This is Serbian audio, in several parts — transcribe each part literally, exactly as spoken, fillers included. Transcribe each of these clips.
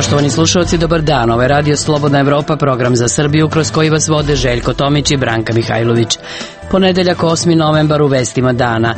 Poštovani slušalci, dobar dan. Ovo je Radio Slobodna Evropa, program za Srbiju kroz koji vas vode Željko Tomić i Branka Mihajlović. Ponedeljak osmi novembar u vestima dana.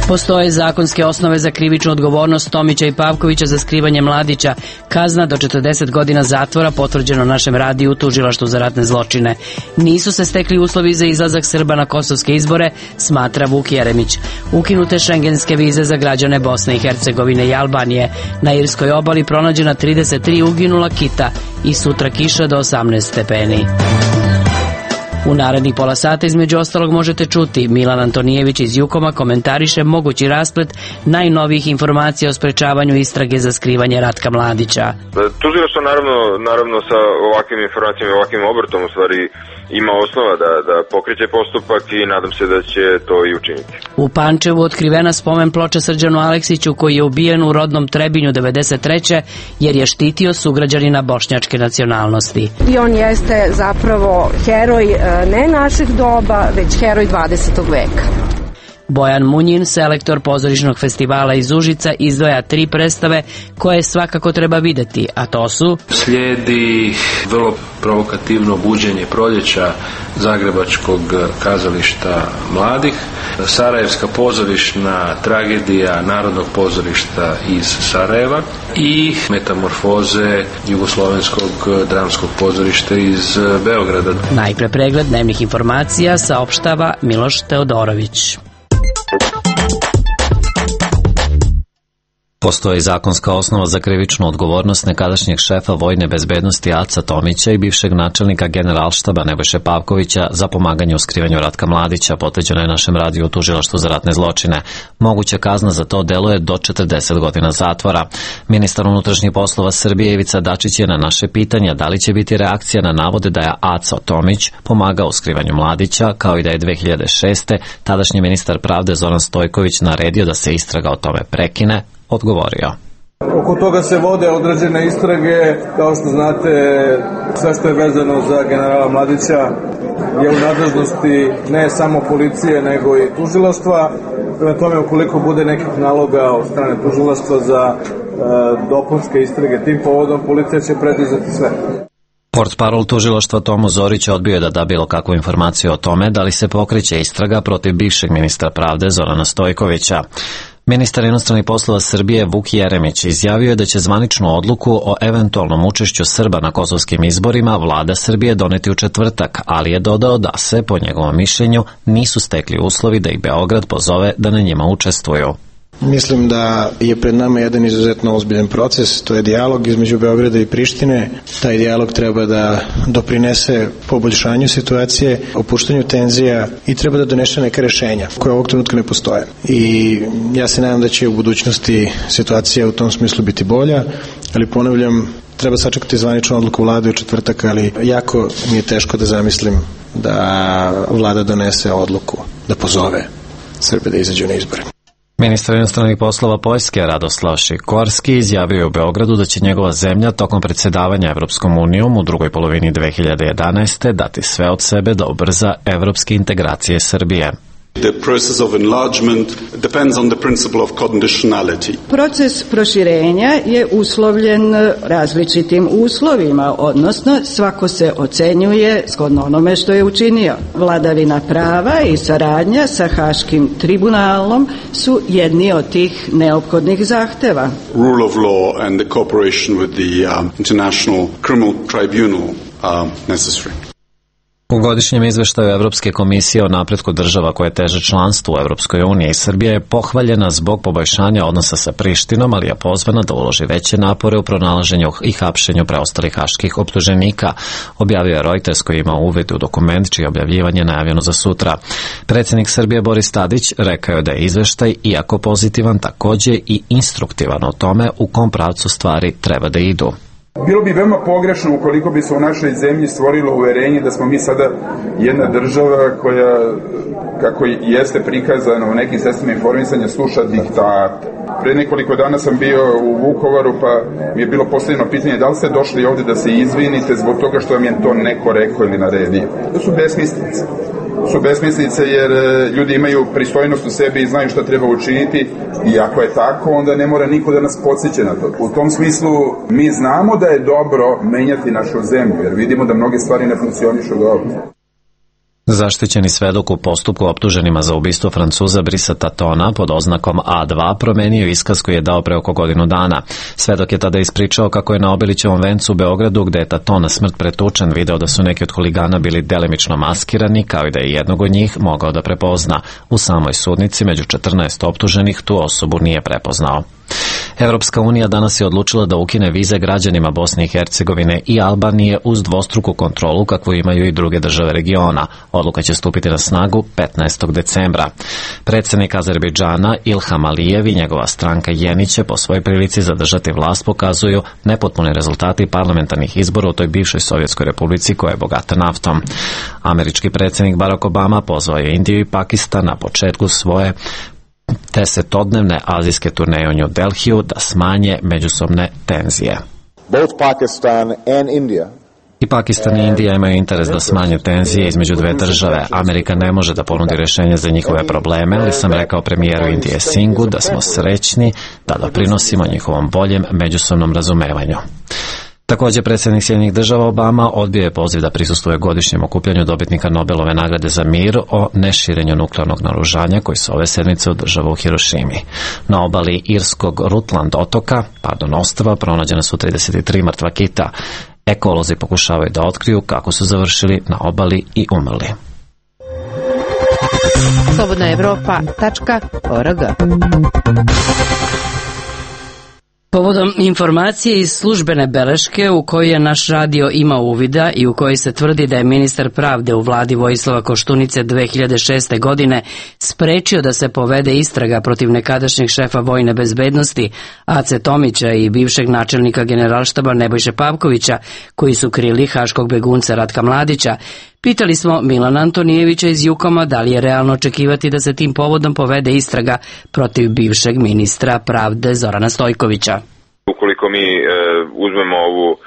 Postoje zakonske osnove za krivičnu odgovornost Tomića i Pavkovića za skrivanje mladića. Kazna do četrdeset godina zatvora potvrđeno našem radiju u Tužilaštvu za ratne zločine. Nisu se stekli uslovi za izlazak Srba na kosovske izbore, smatra Vuk Jeremić. Ukinute šengenske vize za građane Bosne i Hercegovine i Albanije. Na Irskoj obali pronađena trideset tri uginula kita i sutra kiša do osamnaest stepeni. U narednih pola sata između ostalog možete čuti Milan Antonijević iz Jukoma komentariše mogući rasplet najnovijih informacija o sprečavanju istrage za skrivanje Ratka Mladića. Tužilaštvo naravno, naravno sa ovakvim informacijama i ovakvim obrtom u stvari ima osnova da, da pokreće postupak i nadam se da će to i učiniti. U Pančevu otkrivena spomen ploča Srđanu Aleksiću koji je ubijen u rodnom Trebinju devedeset treće jer je štitio sugrađanina bošnjačke nacionalnosti. I on jeste zapravo heroj ne naših doba, već heroj dvadesetog veka. Bojan Munjin, selektor pozorišnog festivala iz Užica, izdvaja tri predstave koje svakako treba videti, a to su: Slijedi vrlo provokativno buđenje proljeća Zagrebačkog kazališta mladih, Sarajevska pozorišna tragedija Narodnog pozorišta iz Sarajeva i Metamorfoze Jugoslovenskog dramskog pozorišta iz Beograda. Najpre pregled dnevnih informacija saopštava Miloš Teodorović. Postoji zakonska osnova za krivičnu odgovornost nekadašnjeg šefa vojne bezbednosti Aca Tomića i bivšeg načelnika Generalštaba Nebojše Pavkovića za pomaganje u skrivanju Ratka Mladića, potvrđeno je našem radiju u Tužilaštvu za ratne zločine. Moguća kazna za to delo je do četrdeset godina zatvora. Ministar unutrašnjih poslova Srbije Ivica Dačić je na naše pitanje da li će biti reakcija na navode da je Aca Tomić pomagao u skrivanju Mladića, kao i da je dve hiljade šeste. tadašnji ministar pravde Zoran Stojković naredio da se istraga o tome prekine, odgovorio. Oko toga se vode određene istrage, kao što znate, sve što je vezano za generala Mladića je u nadležnosti ne samo policije, nego i tužilaštva. Prema tome, ukoliko bude nekih naloga od strane tužilaštva za e, dopunske istrage tim povodom, policija će preduzeti sve. Portparol tužilaštva Tomo Zorić odbio je da da bilo kakvu informaciju o tome da li se pokreće istraga protiv bivšeg ministra pravde Zorana Stojkovića. Ministar inostranih poslova Srbije Vuk Jeremić izjavio je da će zvaničnu odluku o eventualnom učešću Srba na kosovskim izborima vlada Srbije doneti u četvrtak, ali je dodao da se, po njegovom mišljenju, nisu stekli uslovi da ih Beograd pozove da na njima učestvuju. Mislim da je pred nama jedan izuzetno ozbiljan proces, to je dijalog između Beograda i Prištine. Taj dijalog treba da doprinese poboljšanju situacije, opuštanju tenzija i treba da donese neka rešenja koje ovog trenutka ne postoje. I ja se nadam da će u budućnosti situacija u tom smislu biti bolja, ali ponavljam, treba sačekati zvaničnu odluku vlade u četvrtak, ali jako mi je teško da zamislim da vlada donese odluku da pozove Srbe da izađu na izbore. Ministar inostranih poslova Poljske Radoslav Šikorski izjavio u Beogradu da će njegova zemlja tokom predsjedavanja Evropskom unijom u drugoj polovini dve hiljade jedanaeste. dati sve od sebe da ubrza evropske integracije Srbije. The process of enlargement depends on the principle of conditionality. Proces proširenja je uslovljen različitim uslovima, odnosno svako se ocenjuje shodno onome što je učinio. Vladavina prava i saradnja sa Haškim tribunalom su jedni od tih neophodnih zahteva. Rule of law and the cooperation with the um, International Criminal Tribunal are necessary. U godišnjem izveštaju Evropske komisije o napretku država koje teže članstvu u Evropskoj uniji, Srbija je pohvaljena zbog poboljšanja odnosa sa Prištinom, ali je pozvana da uloži veće napore u pronalaženju i hapšenju preostalih haških optuženika, objavio je Reuters koji ima uvid u dokument čije objavljivanje najavljeno za sutra. Predsjednik Srbije Boris Tadić rekao je da je izveštaj, iako pozitivan, također i instruktivan o tome u kom pravcu stvari treba da idu. Bilo bi veoma pogrešno ukoliko bi se u našoj zemlji stvorilo uverenje da smo mi sada jedna država koja, kako jeste prikazano u nekim sredstvima informisanja, sluša diktat. Pre nekoliko dana sam bio u Vukovaru, pa mi je bilo postavljeno pitanje da li ste došli ovdje da se izvinite zbog toga što vam je to neko rekao ili naredio. To su besmislice. su besmislice jer ljudi imaju pristojnost u sebi i znaju šta treba učiniti i ako je tako, onda ne mora niko da nas podsjeća na to. U tom smislu mi znamo da je dobro menjati našu zemlju jer vidimo da mnoge stvari ne funkcionišu dobro. Zaštićeni svedok u postupku optuženima za ubistvo Francuza Brisa Tatona pod oznakom A dva promenio iskaz koji je dao pre oko godinu dana. Svedok je tada ispričao kako je na Obilićevom vencu u Beogradu, gde je Taton na smrt pretučen, video da su neki od huligana bili delimično maskirani, kao i da je jednog od njih mogao da prepozna. U samoj sudnici među četrnaest optuženih tu osobu nije prepoznao. Evropska unija danas je odlučila da ukine vize građanima Bosne i Hercegovine i Albanije uz dvostruku kontrolu kakvu imaju i druge države regiona. Odluka će stupiti na snagu petnaestog decembra. Predsednik Azerbejdžana Ilham Alijev i njegova stranka Jeni će po svojoj prilici zadržati vlast pokazuju nepotpuni rezultati parlamentarnih izbora u toj bivšoj Sovjetskoj republici koja je bogata naftom. Američki predsednik Barack Obama pozvao je Indiju i Pakistan na početku svoje desetodnevne azijske turneje u New Delhiju da smanje međusobne tenzije. Both Pakistan and India I Pakistan i Indija imaju interes da smanje tenzije između dve države. Amerika ne može da ponudi rešenje za njihove probleme, ali sam rekao premijeru Indije Singhu da smo srećni da doprinosimo njihovom boljem međusobnom razumevanju. Također, predsjednik Sjedinjenih država Obama odbio je poziv da prisustvuje godišnjem okupljanju dobitnika Nobelove nagrade za mir o neširenju nuklearnog naoružanja koji se ove sedmice održava u Hirošimi. Na obali irskog Rutland otoka, pardon, ostrva, pronađene su trideset tri mrtva kita. Ekolozi pokušavaju da otkriju kako su završili na obali i umrli. slobodna evropa tačka org. Povodom informacije iz službene beleške u kojoj je naš radio imao uvida i u kojoj se tvrdi da je ministar pravde u vladi Vojislava Koštunice dve hiljade šeste. godine sprečio da se povede istraga protiv nekadašnjeg šefa vojne bezbednosti Ace Tomića i bivšeg načelnika generalštaba Nebojše Pavkovića, koji su krili haškog begunca Ratka Mladića, pitali smo Milana Antonijevića iz Jukoma da li je realno očekivati da se tim povodom povede istraga protiv bivšeg ministra pravde Zorana Stojkovića. Ukoliko mi e, uzmemo ovu e,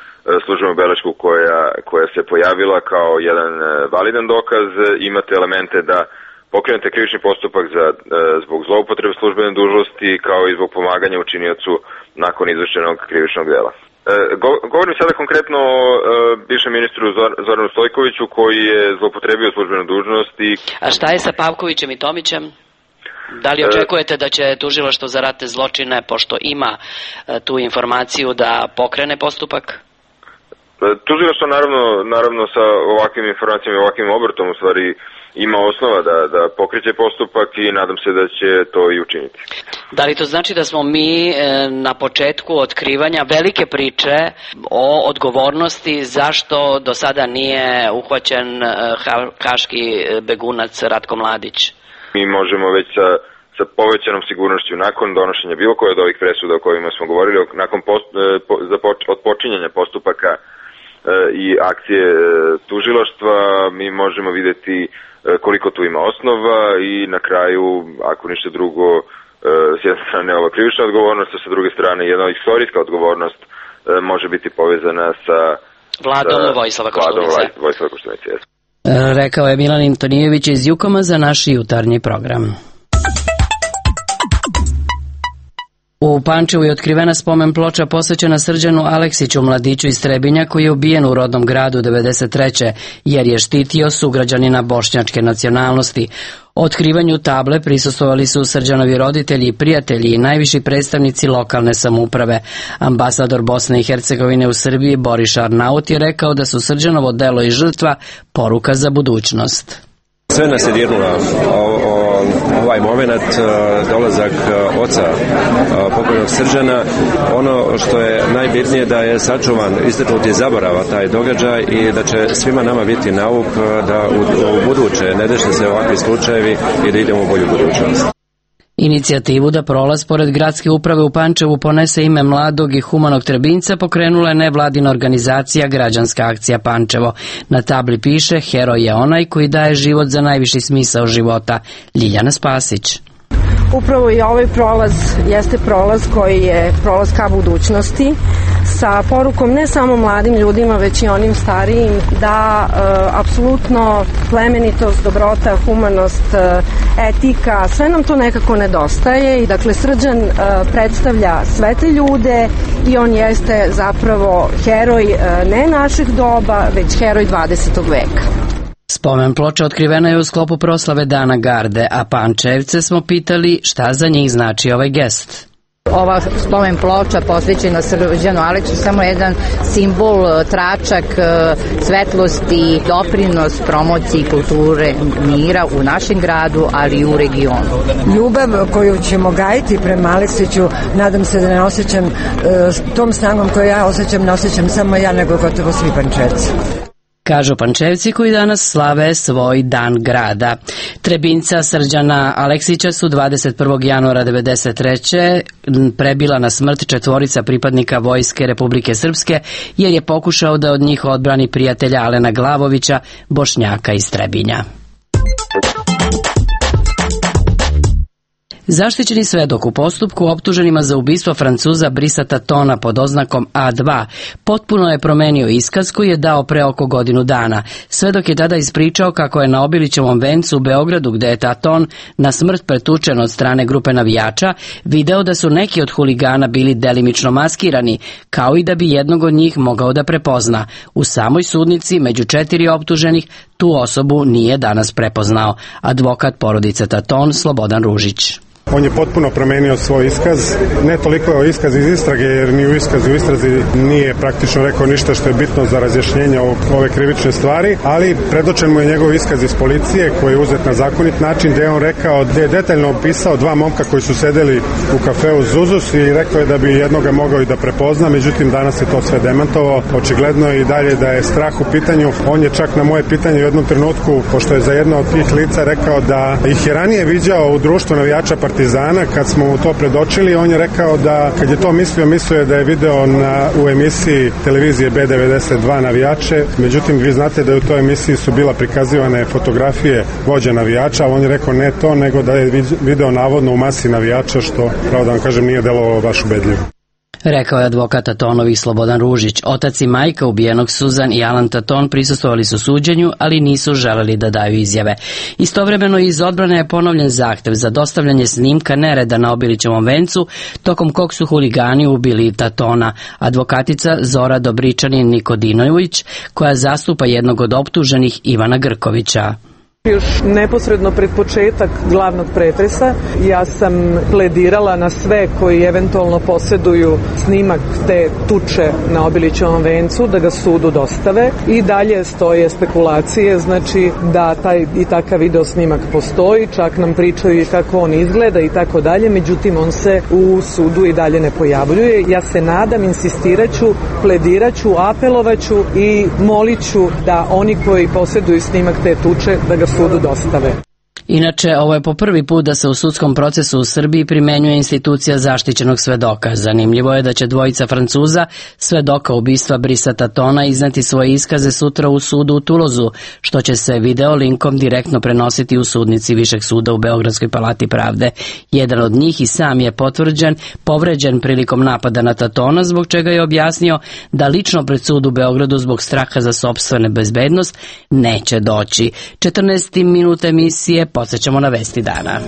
službenu belešku koja, koja se pojavila kao jedan e, validan dokaz, e, imate elemente da pokrenete krivični postupak za, e, zbog zloupotrebe službene dužnosti kao i zbog pomaganja učiniocu nakon izvršenog krivičnog dela. E, go, govorim sada konkretno o e, bivšem ministru Zor, Zoranu Stojkoviću koji je zloupotrebio službenu dužnost i... A šta je sa Pavkovićem i Tomićem? Da li očekujete da će tužilaštvo za ratne zločine, pošto ima e, tu informaciju, da pokrene postupak? E, tužilaštvo naravno, naravno sa ovakvim informacijama i ovakvim obrtom u stvari ima osnova da, da pokreće postupak i nadam se da će to i učiniti. Da li to znači da smo mi e, na početku otkrivanja velike priče o odgovornosti zašto do sada nije uhvaćen e, ha, haški begunac Ratko Mladić? Mi možemo već sa, sa povećanom sigurnošću nakon donošenja bilo koje od ovih presuda o kojima smo govorili, nakon post, po, započ, od počinjanja postupaka e, i akcije e, tužilaštva, mi možemo vidjeti e, koliko tu ima osnova i na kraju, ako ništa drugo, e, s jedne strane ova krivična odgovornost, a sa druge strane jedna istorijska odgovornost e, može biti povezana sa Vladom Vojislava Koštunice. Vojislava Koštunice, jesu. Rekao je Milan Antonijević iz Jukoma za naš jutarnji program. U Pančevu je otkrivena spomen ploča posvećena Srđanu Aleksiću, mladiću iz Trebinja, koji je ubijen u rodnom gradu devedeset treće jer je štitio sugrađanina bošnjačke nacionalnosti. Otkrivanju table prisustvovali su Srđanovi roditelji i prijatelji i najviši predstavnici lokalne samouprave. Ambasador Bosne i Hercegovine u Srbiji Boris Arnaut je rekao da su Srđanovo delo i žrtva poruka za budućnost. Sve nas je dirnula ovaj moment, dolazak oca pokojnog Srđana. Ono što je najbitnije da je sačuvan, istaknut je zaborava taj događaj i da će svima nama biti nauk da u, u buduće ne dešavaju se ovakvi slučajevi i da idemo u bolju budućnost. Inicijativu da prolaz pored gradske uprave u Pančevu ponese ime mladog i humanog Trebinjca pokrenula je nevladina organizacija Građanska akcija Pančevo. Na tabli piše: heroj je onaj koji daje život za najviši smisao života. Ljiljana Spasić. Upravo i ovaj prolaz jeste prolaz koji je prolaz ka budućnosti sa porukom ne samo mladim ljudima, već i onim starijim, da e, apsolutno plemenitost, dobrota, humanost, e, etika, sve nam to nekako nedostaje i dakle Srđan e, predstavlja sve te ljude i on jeste zapravo heroj e, ne naših doba, već heroj dvadesetog veka. Spomen ploča otkrivena je u sklopu proslave Dana Garde, a Pančevce smo pitali šta za njih znači ovaj gest. Ova spomen ploča posvećena Srđanu Aleksiću samo jedan simbol, tračak svetlosti, doprinos promociji kulture mira u našem gradu, ali i u regionu. Ljubav koju ćemo gajiti prema Aleksiću, nadam se da ne osjećam tom snagom koju ja osjećam, ne osjećam samo ja, nego gotovo svi Pančevci. Kažu Pančevci koji danas slave svoj dan grada. Trebinca Srđana Aleksića su dvadeset prvog januara devedeset treće prebila na smrt četvorica pripadnika Vojske Republike Srpske, jer je pokušao da od njih odbrani prijatelja Alena Glavovića, Bošnjaka iz Trebinja. Zaštićeni svedok u postupku optuženima za ubistvo Francuza Brissata Tona pod oznakom A dva potpuno je promenio iskaz koji je dao pre oko godinu dana. Svedok je tada ispričao kako je na Obilićevom vencu u Beogradu, gde je Taton na smrt pretučen od strane grupe navijača, video da su neki od huligana bili delimično maskirani, kao i da bi jednog od njih mogao da prepozna. U samoj sudnici, među četiri optuženih, tu osobu nije danas prepoznao. Advokat porodice Taton, Slobodan Ružić. On je potpuno promenio svoj iskaz, ne toliko iskaz iz istrage, jer ni u iskazu u istrazi nije praktično rekao ništa što je bitno za razjašnjenje ove krivične stvari, ali predočen mu je njegov iskaz iz policije koji je uzet na zakonit način, gde je on rekao, gde je detaljno opisao dva momka koji su sedeli u kafeu Zuzus i rekao je da bi jednoga mogao i da prepozna, međutim danas je to sve demantovao, očigledno je i dalje da je strah u pitanju. On je čak na moje pitanje u jednom trenutku, pošto je za jedno od tih lica rekao da ih je ranije viđao u društvu navijača Partizana, kad smo mu to predočili, on je rekao da kad je to mislio, mislio je da je video na, u emisiji televizije B devedeset dva navijače, međutim vi znate da u toj emisiji su bila prikazivane fotografije vođa navijača, ali on je rekao ne to, nego da je video navodno u masi navijača, što, pravo da vam kažem, nije delovalo baš ubedljivo. Rekao je advokat Tatonovi Slobodan Ružić. Otac i majka ubijenog Suzan i Alan Taton prisustvovali su suđenju, ali nisu želeli da daju izjave. Istovremeno iz odbrane je ponovljen zahtev za dostavljanje snimka nereda na Obilićevom vencu, tokom kog su huligani ubili Tatona. Advokatica Zora Dobričanin Nikodinović, koja zastupa jednog od optuženih, Ivana Grkovića. Još neposredno pred početak glavnog pretresa ja sam pledirala na sve koji eventualno posjeduju snimak te tuče na Obilićevom vencu da ga sudu dostave i dalje stoje spekulacije, znači da taj i takav video snimak postoji, čak nam pričaju i kako on izgleda i tako dalje, međutim on se u sudu i dalje ne pojavljuje. Ja se nadam, insistiraću, plediraću, apelovaću i moliću da oni koji posjeduju snimak te tuče da ga sudu dostave. Inače, ovo je po prvi put da se u sudskom procesu u Srbiji primenjuje institucija zaštićenog svedoka. Zanimljivo je da će dvojica Francuza, svedoka ubistva Brissata Tona, izneti svoje iskaze sutra u sudu u Tulozu, što će se video linkom direktno prenositi u sudnici Višeg suda u Beogradskoj palati pravde. Jedan od njih i sam je potvrđen, povređen prilikom napada na Tatona, zbog čega je objasnio da lično pred sud u Beogradu zbog straha za sopstvene bezbednost neće doći. četrnaesti minut emisije, podsjećamo na vesti dana.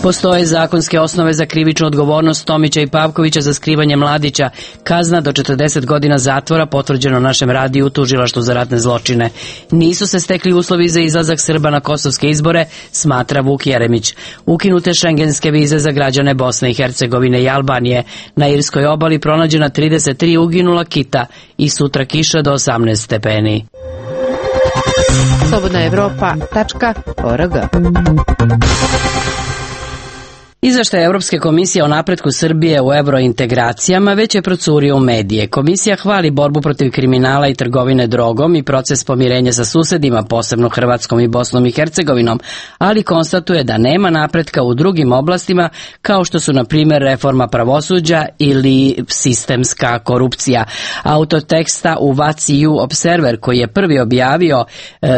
Postoje zakonske osnove za krivičnu odgovornost Tomića i Pavkovića za skrivanje mladića. Kazna do četrdeset godina zatvora potvrđeno našem radiju u Tužilaštvu za ratne zločine. Nisu se stekli uslovi za izlazak Srba na kosovske izbore, smatra Vuk Jeremić. Ukinute šengenske vize za građane Bosne i Hercegovine i Albanije. Na Irskoj obali pronađena trideset tri uginula kita i sutra kiša do osamnaest stepeni. slobodna evropa tačka org Izveštaj Evropske komisije o napretku Srbije u eurointegracijama već je procurio u medije. Komisija hvali borbu protiv kriminala i trgovine drogom i proces pomirenja sa susedima, posebno Hrvatskom i Bosnom i Hercegovinom, ali konstatuje da nema napretka u drugim oblastima kao što su na primjer reforma pravosuđa ili sistemska korupcija. Autor teksta u Vaciju Observer, koji je prvi objavio e,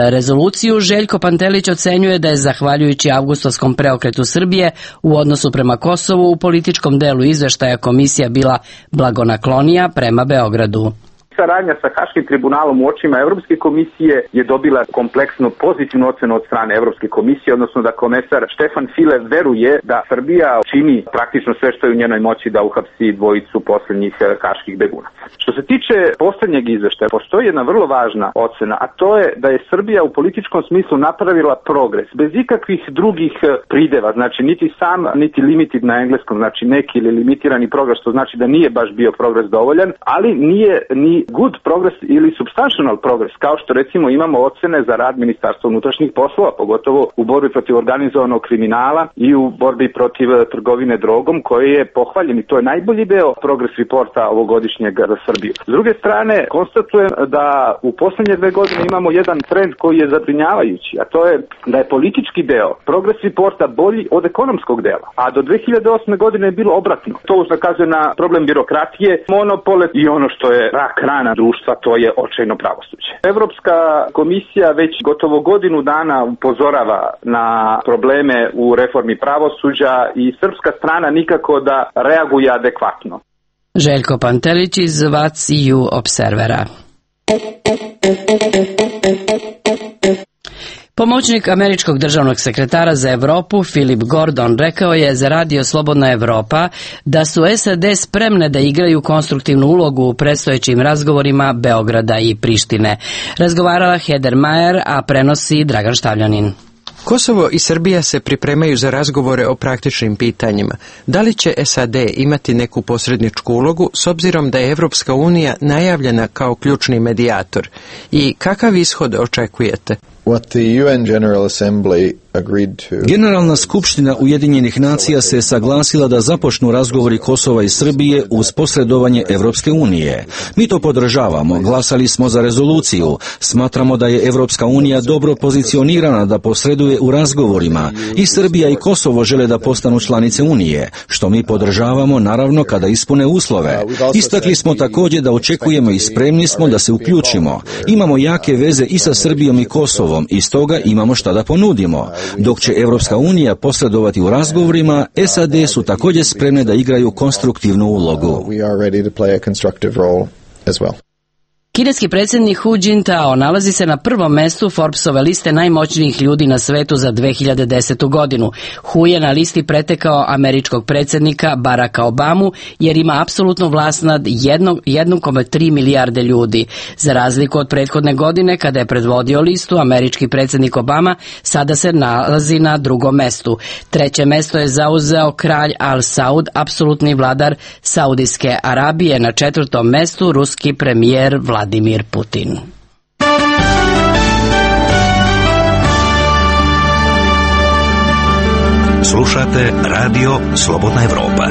rezoluciju, Željko Pantelić ocenjuje da je zahvaljujući avgustovskom preokretu Srbije u odnosu prema Kosovu u političkom delu izveštaja komisija bila blagonaklonija prema Beogradu. Saradnja sa Haškim tribunalom u očima Evropske komisije je dobila kompleksno pozitivnu ocenu od strane Evropske komisije, odnosno da komesar Štefan File veruje da Srbija čini praktično sve što je u njenoj moći da uhapsi dvojicu poslednjih haških begunaca. Što se tiče poslednjeg izveštaja, postoji jedna vrlo važna ocena, a to je da je Srbija u političkom smislu napravila progres, bez ikakvih drugih prideva, znači niti sam, niti limited na engleskom, znači neki ili limitirani progres, što znači da nije baš bio progres dovoljan, ali nije ni good progress ili substantial progress, kao što recimo imamo ocene za rad Ministarstva unutrašnjih poslova, pogotovo u borbi protiv organizovanog kriminala i u borbi protiv trgovine drogom, koji je pohvaljen i to je najbolji deo progress reporta ovogodišnjeg za Srbiju. S druge strane, konstatujem da u poslednje dve godine imamo jedan trend koji je zabrinjavajući, a to je da je politički deo progress reporta bolji od ekonomskog dela, a do dve hiljade osme godine je bilo obratno. To ukazuje na problem birokratije, monopole i ono što je rak rana društva, to je očajno pravosuđe. Evropska komisija već gotovo godinu dana upozorava na probleme u reformi pravosuđa i srpska strana nikako da reaguje adekvatno. Željko Pantelić iz Vaciju Observera. Pomoćnik američkog državnog sekretara za Evropu Philip Gordon rekao je za radio Slobodna Evropa da su S A D spremne da igraju konstruktivnu ulogu u predstojećim razgovorima Beograda i Prištine. Razgovarala Heather Mayer, a prenosi Dragan Štavljanin. Kosovo i Srbija se pripremaju za razgovore o praktičnim pitanjima. Da li će S A D imati neku posredničku ulogu s obzirom da je Evropska unija najavljena kao ključni medijator? I kakav ishod očekujete? What the U N General Assembly agreed to. Generalna skupština Ujedinjenih nacija se saglasila da započnu razgovori Kosova i Srbije uz posredovanje Evropske unije. Mi to podržavamo, glasali smo za rezoluciju, smatramo da je Evropska unija dobro pozicionirana da posreduje u razgovorima i Srbija i Kosovo žele da postanu članice unije, što mi podržavamo naravno kada ispune uslove. Istakli smo također da očekujemo i spremni smo da se uključimo. Imamo jake veze i sa Srbijom i Kosovom i stoga imamo šta da ponudimo. Dok će Evropska unija posredovati u razgovorima, S A D su također spremne da igraju konstruktivnu ulogu. Kineski predsjednik Hu Jintao nalazi se na prvom mestu Forbesove liste najmoćnijih ljudi na svetu za dve hiljade desetu godinu. Hu je na listi pretekao američkog predsjednika Baracka Obamu jer ima apsolutnu vlast nad jedan zarez tri milijarde ljudi. Za razliku od prethodne godine kada je predvodio listu, američki predsjednik Obama sada se nalazi na drugom mestu. Treće mesto je zauzeo kralj Al Saud, apsolutni vladar Saudijske Arabije. Na četvrtom mestu ruski premijer Vladimir Putin. Slušate radio Slobodna Evropa.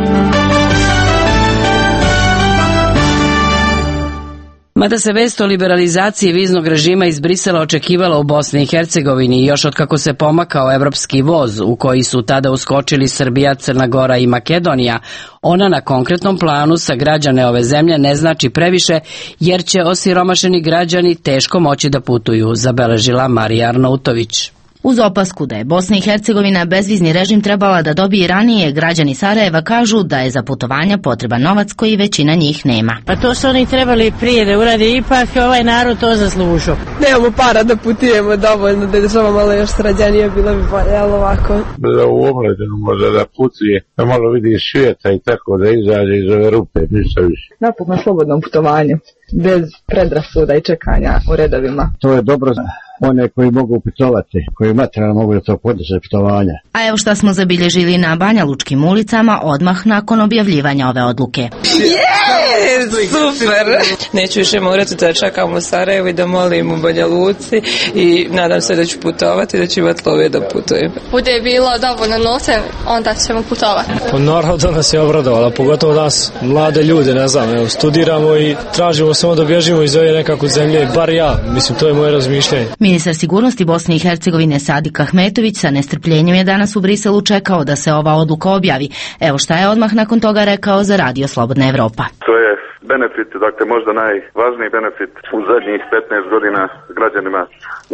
Mada se vest o liberalizaciji viznog režima iz Brisela očekivala u Bosni i Hercegovini još od kako se pomakao evropski voz u koji su tada uskočili Srbija, Crna Gora i Makedonija, ona na konkretnom planu sa građane ove zemlje ne znači previše jer će osiromašeni građani teško moći da putuju, zabeležila Marija Arnautović. Uz opasku da je Bosna i Hercegovina bezvizni režim trebala da dobije ranije, građani Sarajeva kažu da je za putovanja potreban novac koji većina njih nema. Pa to su oni trebali prije da urade, ipak ovaj narod to zaslužio. Nemamo para da putujemo dovoljno, da je država malo još srađanije, bilo bi bolje, ali ovako. Da u omladinu može da putuje, da malo vidi svijeta i tako da izađe iz ove rupe, ništa više. Napokon slobodnom putovanju. bez predrasuda i čekanja u redovima. To je dobro za one koji mogu putovati, koji materijalno mogu da to podnose putovanja. A evo šta smo zabilježili na Banja Lučkim ulicama odmah nakon objavljivanja ove odluke. Je, super! Neću više morati da čekam u Sarajevu i da molim u Banja Luci i nadam se da ću putovati, da ću imati love da putujem. Bude bilo dovoljno novca, onda ćemo putovati. Pa naravno da nas je obradovala, pogotovo nas, mlade ljude, ne znam, evo, studiramo i tražimo samo da bježimo iz ove nekakve zemlje, bar ja, mislim, to je moje razmišljanje. Ministar sigurnosti Bosne i Hercegovine Sadik Ahmetović sa nestrpljenjem je danas u Briselu čekao da se ova odluka objavi. Evo šta je odmah nakon toga rekao za Radio Slobodna Evropa. To je benefit, dakle možda najvažniji benefit u zadnjih petnaest godina građanima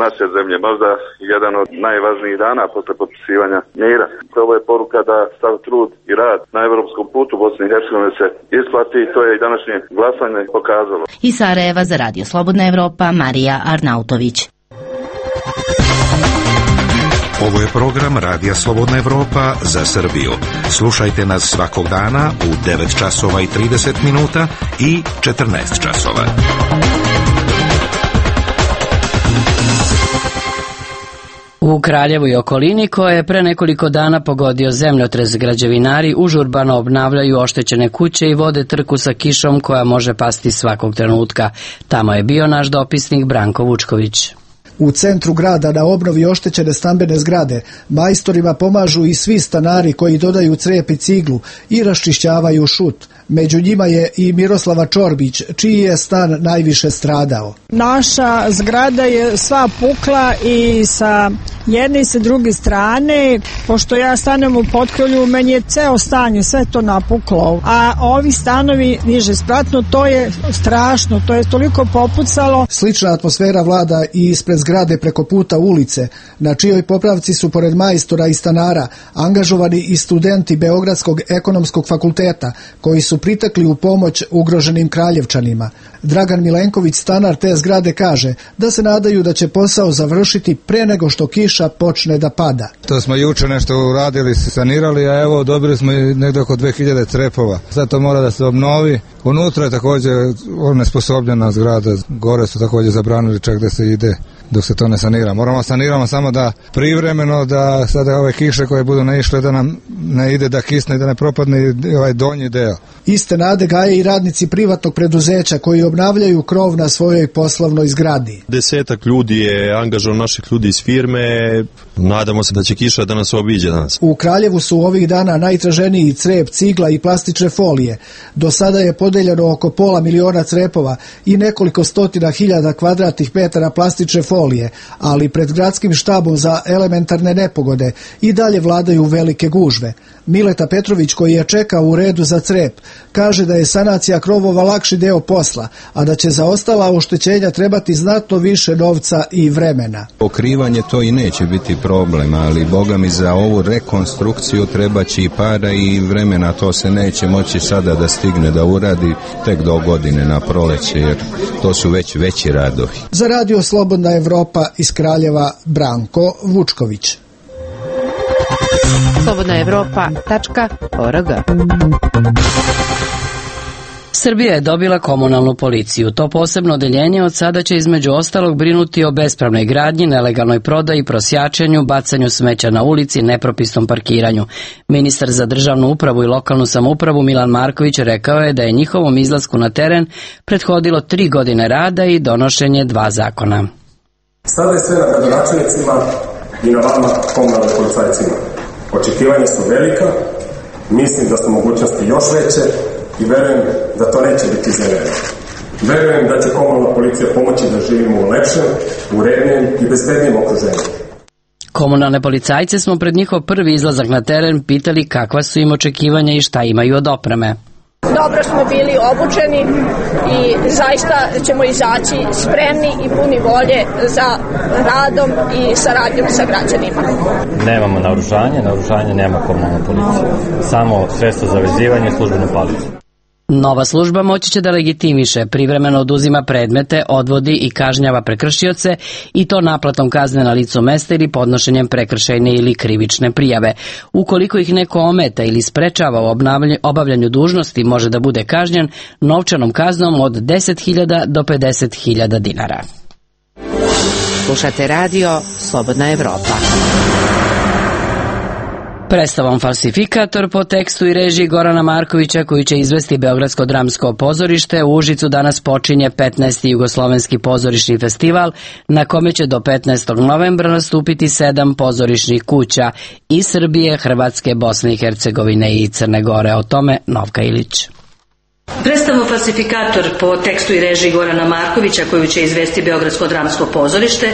naše zemlje, možda jedan od najvažnijih dana posle potpisivanja mira. Ovo je poruka da sav trud i rad na evropskom putu Bosne i Hercegovine se isplati i to je i današnje glasanje pokazalo. Iz Sarajeva za Radio Slobodna Evropa Marija Arnautović. Ovo je program Radija Slobodna Evropa za Srbiju. Slušajte nas svakog dana u devet časova i trideset minuta i četrnaest časova. U Kraljevu i okolini, koje je pre nekoliko dana pogodio zemljotres, građevinari užurbano obnavljaju oštećene kuće i vode trku sa kišom koja može pasti svakog trenutka. Tamo je bio naš dopisnik Branko Vučković. U centru grada na obnovi oštećene stambene zgrade majstorima pomažu i svi stanari koji dodaju crep i ciglu i raščišćavaju šut. Među njima je i Miroslava Čorbić, čiji je stan najviše stradao. Naša zgrada je sva pukla i sa jedne i sa druge strane, pošto ja stanem u Potkrolju, meni je ceo stan, sve to napuklo. A ovi stanovi niže spratno, to je strašno, to je toliko popucalo. Slična atmosfera vlada i ispred zgrade preko puta ulice, na čijoj popravci su pored majstora i stanara angažovani i studenti Beogradskog ekonomskog fakulteta, koji su pritekli u pomoć ugroženim Kraljevčanima. Dragan Milenković, stanar te zgrade, kaže da se nadaju da će posao završiti pre nego što kiša počne da pada. To smo juče nešto uradili, sanirali, a evo dobili smo i negdje oko dve hiljade crepova. Sad to mora da se obnovi. Unutra je također onesposobljena zgrada, gore su također zabranili čak da se ide dok se to ne sanira. Moramo saniramo samo da privremeno, da sada ove kiše koje budu naišle da nam ne ide da kisne i da ne propadne ovaj donji deo. Iste nade gaje i radnici privatnog preduzeća koji obnavljaju krov na svojoj poslovnoj zgradi. Desetak ljudi je angažovano, naših ljudi iz firme. Nadamo se da će kiša da nas obiđe danas. U Kraljevu su ovih dana najtraženiji crep, cigla i plastične folije. Do sada je podeljeno oko pola miliona crepova i nekoliko stotina hiljada kvadratnih metara plastične folije, ali pred gradskim štabom za elementarne nepogode i dalje vladaju velike gužve. Mileta Petrović, koji je čekao u redu za crep, kaže da je sanacija krovova lakši deo posla, a da će za ostala oštećenja trebati znatno više novca i vremena. Pokrivanje to i neće biti problem, ali boga mi za ovu rekonstrukciju treba će i para i vremena, to se neće moći sada da stigne da uradi tek do godine na proleće, jer to su već veći radovi. Za Radio Slobodna Evropa iz Kraljeva, Branko Vučković. slobodna evropa tačka org. Srbija je dobila komunalnu policiju. To posebno odeljenje od sada će između ostalog brinuti o bespravnoj gradnji, nelegalnoj prodaji, prosjačenju, bacanju smeća na ulici, nepropisnom parkiranju. Ministar za državnu upravu i lokalnu samoupravu Milan Marković rekao je da je njihovom izlasku na teren prethodilo tri godine rada i donošenje dva zakona. Sada je sve na gradonačelnicima i na vama komunalnim policajcima. Očekivanja su velika, mislim da su mogućnosti još veće i verujem da to neće biti iznenadno. Verujem da će komunalna policija pomoći da živimo u lepšem, urednijem i bezbednijem okruženju. Komunalne policajce smo pred njihov prvi izlazak na teren pitali kakva su im očekivanja i šta imaju od opreme. Dobro smo bili obučeni i zaista ćemo izaći spremni i puni volje za radom i saradnjom sa građanima. Nemamo naoružanje, naoružanje nema komunalna policija. Samo sredstvo za vezivanje i službene palice. Nova služba moći će da legitimiše, privremeno oduzima predmete, odvodi i kažnjava prekršioce i to naplatom kazne na licu mesta ili podnošenjem prekršajne ili krivične prijave. Ukoliko ih neko ometa ili sprečava u obavljanju dužnosti, može da bude kažnjen novčanom kaznom od deset hiljada do pedeset hiljada dinara. Slušate radio Slobodna Evropa. Predstavom Falsifikator po tekstu i režiji Gorana Markovića, koju će izvesti Beogradsko dramsko pozorište, u Užicu danas počinje petnaesti Jugoslovenski pozorišni festival, na kome će do petnaestog novembra nastupiti sedam pozorišnih kuća iz Srbije, Hrvatske, Bosne i Hercegovine i Crne Gore. O tome Novka Ilić. Predstavu Falsifikator po tekstu i režiji Gorana Markovića, koju će izvesti Beogradsko dramsko pozorište,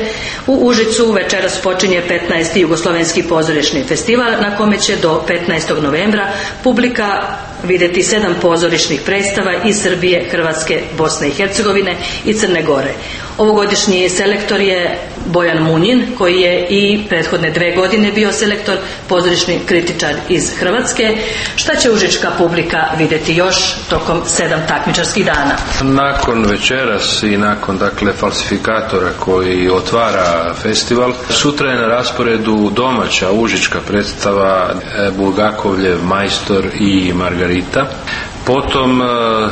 u Užicu večeras počinje petnaesti Jugoslovenski pozorišni festival, na kome će do petnaestog novembra publika vidjeti sedam pozorišnih predstava iz Srbije, Hrvatske, Bosne i Hercegovine i Crne Gore. Ovogodišnji selektor je Bojan Munjin, koji je i prethodne dve godine bio selektor, pozorišni kritičar iz Hrvatske. Šta će užička publika vidjeti još tokom sedam takmičarskih dana? Nakon večeras i nakon dakle Falsifikatora koji otvara festival, sutra je na rasporedu domaća užička predstava Bulgakovljev Majstor i Margarita. Potom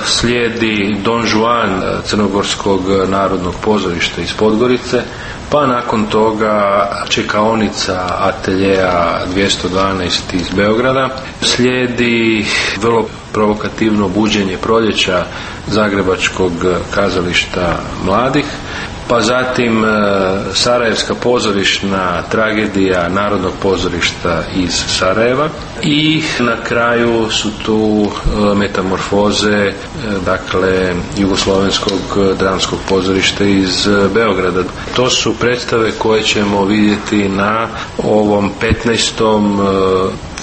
slijedi Don Juan Crnogorskog narodnog pozorišta iz Podgorice, pa nakon toga čekaonica ateljeja dvjesto dvanaest iz Beograda. Slijedi vrlo provokativno buđenje proljeća Zagrebačkog kazališta mladih, pa zatim Sarajevska pozorišna tragedija Narodnog pozorišta iz Sarajeva i na kraju su tu metamorfoze dakle Jugoslovenskog dramskog pozorišta iz Beograda. To su predstave koje ćemo vidjeti na ovom petnaestom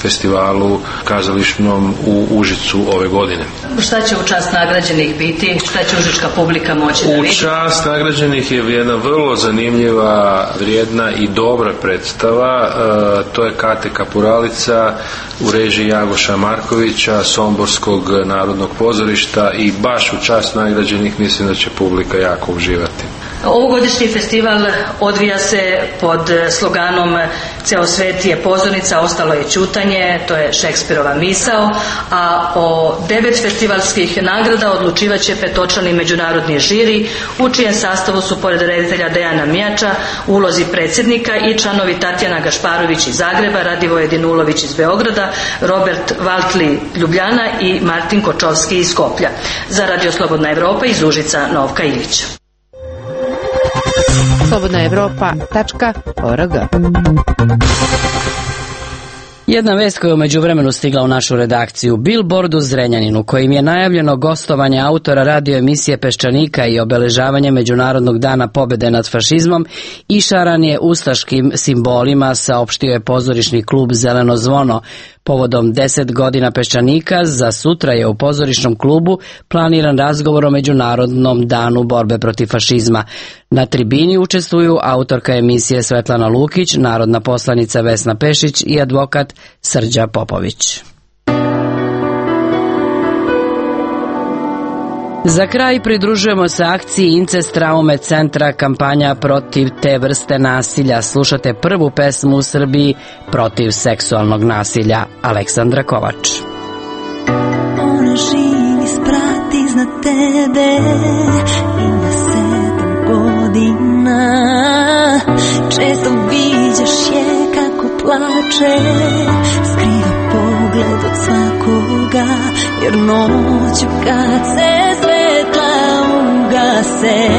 festivalu kazališnom u Užicu ove godine. Šta će u čast nagrađenih biti? Šta će užička publika moći da vidi? U čast nagrađenih je jedna vrlo zanimljiva, vrijedna i dobra predstava. E, to je Kate Kapuralica u režiji Jagoša Markovića, Somborskog narodnog pozorišta, i baš u čast nagrađenih mislim da će publika jako uživati. Ovogodišnji festival odvija se pod sloganom Ceo svet je pozornica, ostalo je ćutanje, to je Šekspirova misao, a o devet festivalskih nagrada odlučivat će petočlani međunarodni žiri, u čijem sastavu su pored reditelja Dejana Mijača u ulozi predsjednika i članovi Tatjana Gašparović iz Zagreba, Radivoje Dinulović iz Beograda, Robert Valtli Ljubljana i Martin Kočovski iz Skoplja. Za Radio Slobodna Evropa iz Užica Novka Ilić. slobodna evropa tačka org. Jedna vest koja je u međuvremenu stigla u našu redakciju. Billboard u Zrenjaninu, kojim je najavljeno gostovanje autora radio emisije Peščanika i obeležavanje Međunarodnog dana pobjede nad fašizmom, išaran je ustaškim simbolima, saopštio je pozorišni klub Zeleno zvono. Povodom deset godina Peščanika, za sutra je u pozorišnom klubu planiran razgovor o Međunarodnom danu borbe protiv fašizma. Na tribini učestvuju autorka emisije Svetlana Lukić, narodna poslanica Vesna Pešić i advokat Srđa Popović. Za kraj pridružujemo se akciji Incest traume centra, kampanja protiv te vrste nasilja. Slušate prvu pesmu u Srbiji protiv seksualnog nasilja. Aleksandra Kovač. Ona živi sprat iznad tebe, ima sedam godina. Često viđaš je kako plače, skriva pogled od svakoga, jer noću kad se svetla ugase,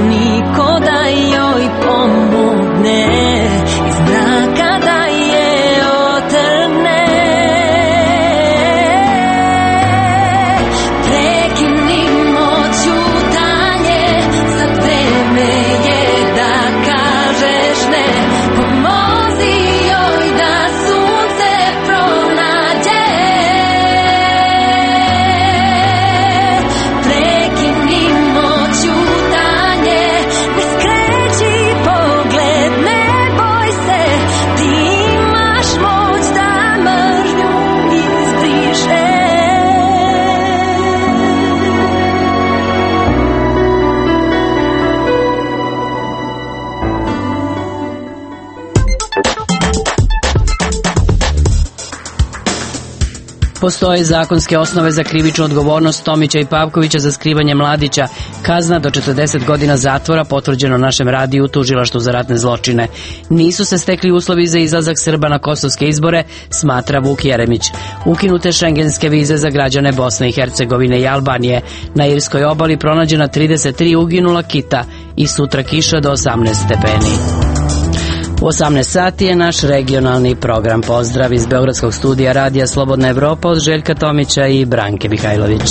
niko da joj pomogne, iz mraka da je otrgne. Prekinimo ćutanje, sad vreme je da kažeš ne, pomozi joj da sunce pronađe. Prekinimo ćutanje, Postoje zakonske osnove za krivičnu odgovornost Tomića i Pavkovića za skrivanje Mladića. Kazna do četrdeset godina zatvora potvrđeno našem radiju u tužilaštvu za ratne zločine. Nisu se stekli uslovi za izlazak Srba na kosovske izbore, smatra Vuk Jeremić. Ukinute šengenske vize za građane Bosne i Hercegovine i Albanije. Na Irskoj obali pronađena trideset tri uginula kita i sutra kiša do osamnaest stepeni. U osamnaest sati je naš regionalni program. Pozdrav iz Beogradskog studija Radija Slobodna Evropa od Željka Tomića i Branke Mihajlović.